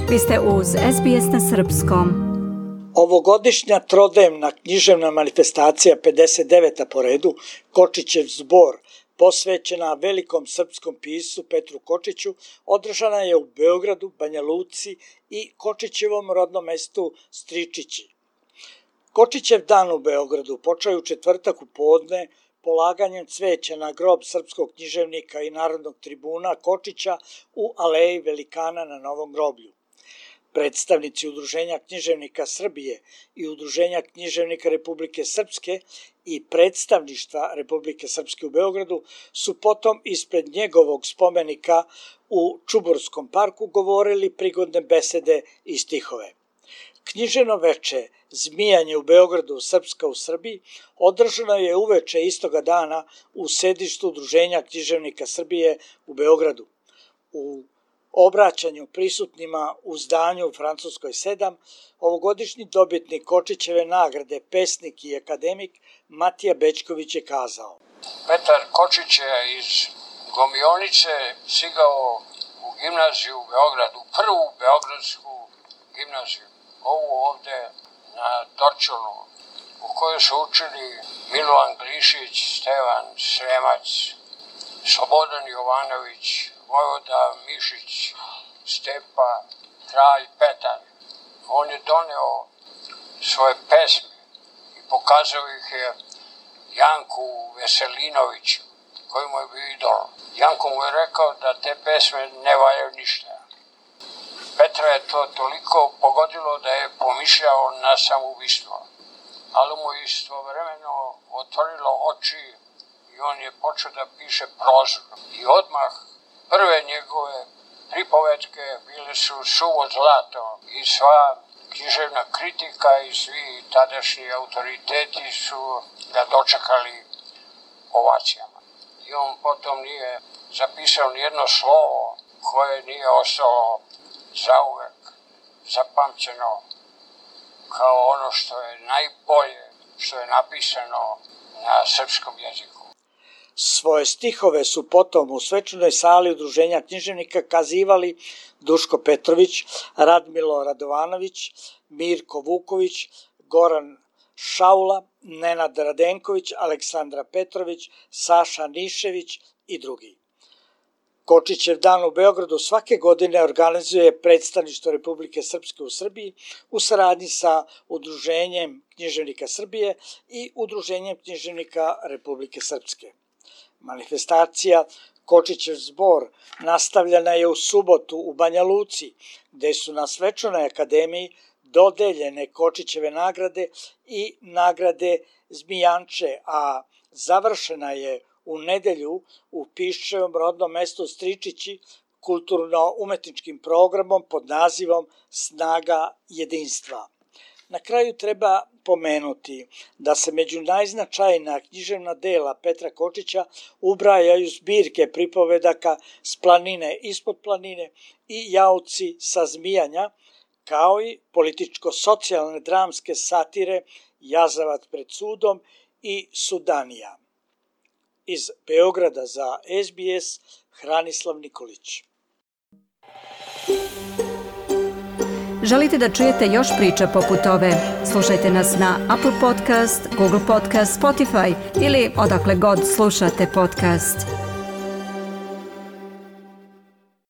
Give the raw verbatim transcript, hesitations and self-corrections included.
Vi ste uz S B S na srpskom. Ovogodišnja trodnevna književna manifestacija pedeset deveta po redu, Kočićev zbor, posvećena velikom srpskom piscu Petru Kočiću, održana je u Beogradu, Banja Luci i Kočićevom rodnom mestu Stričići. Kočićev dan u Beogradu počeo je u četvrtak u podne polaganjem cveća na grob srpskog književnika i narodnog tribuna Kočića u Aleji Velikana na Novom groblju. Predstavnici Udruženja književnika Srbije i Udruženja književnika Republike Srpske i predstavništva Republike Srpske u Beogradu su potom ispred njegovog spomenika u Čuburskom parku govorili prigodne besede i stihove. Književno veče Zmijanje u Beogradu, Srpska u Srbiji, održano je uveče istoga dana u sedištu Udruženja književnika Srbije u Beogradu. U obraćanju prisutnima u zdanju u Francuskoj sedam, ovogodišnji dobitnik Kočićeve nagrade, pesnik i akademik Matija Bećković je kazao: Petar Kočić je iz Gomionice stigao u gimnaziju u Beogradu, prvu beogradsku gimnaziju, ovu ovde na Dorčolu, u kojoj su učili Milovan Glišić, Stevan Sremac, Slobodan Jovanović, Vojvoda Mišić, Stepa, Kralj Petar. On je doneo svoje pesme i pokazao ih je Janku Veselinoviću, koji mu je bio idol. Janko mu je rekao da te pesme ne valjaju ništa. Petra je to toliko pogodilo da je pomišljao na samoubistvo, ali mu je istovremeno otvorilo oči i on je počeo da piše prozu. I odmah prve njegove pripovetke bile su suvo zlato i sva književna kritika i svi tadašnji autoriteti su ga dočekali ovacijama. I on potom nije zapisao nijedno slovo koje nije ostalo zauvek zapamćeno kao ono što je najbolje što je napisano na srpskom jeziku. Svoje stihove su potom u svečanoj sali Udruženja književnika kazivali Duško Petrović, Radmilo Radovanović, Mirko Vuković, Goran Šaula, Nenad Radenković, Aleksandra Petrović, Saša Nišević i drugi. Kočićev dan u Beogradu svake godine organizuje predstavništvo Republike Srpske u Srbiji u saradnji sa Udruženjem književnika Srbije i Udruženjem književnika Republike Srpske. Manifestacija Kočićev zbor nastavljena je u subotu u Banja Luci, gde su na svečanoj akademiji dodeljene Kočićeve nagrade i nagrade Zmijanče, a završena je u nedelju u Piščevom rodnom mestu Stričići kulturno-umetničkim programom pod nazivom Snaga jedinstva. Na kraju treba pomenuti da se među najznačajnija književna dela Petra Kočića ubrajaju zbirke pripovedaka S planine ispod planine i Jauci sa Zmijanja, kao i političko-socijalne dramske satire Jazavac pred sudom i Sudanija. Iz Beograda za S B S, Hranislav Nikolić. Želite da čujete još priča poput ove? Slušajte nas na Apple Podcast, Google Podcast, Spotify ili odakle god slušate podcast.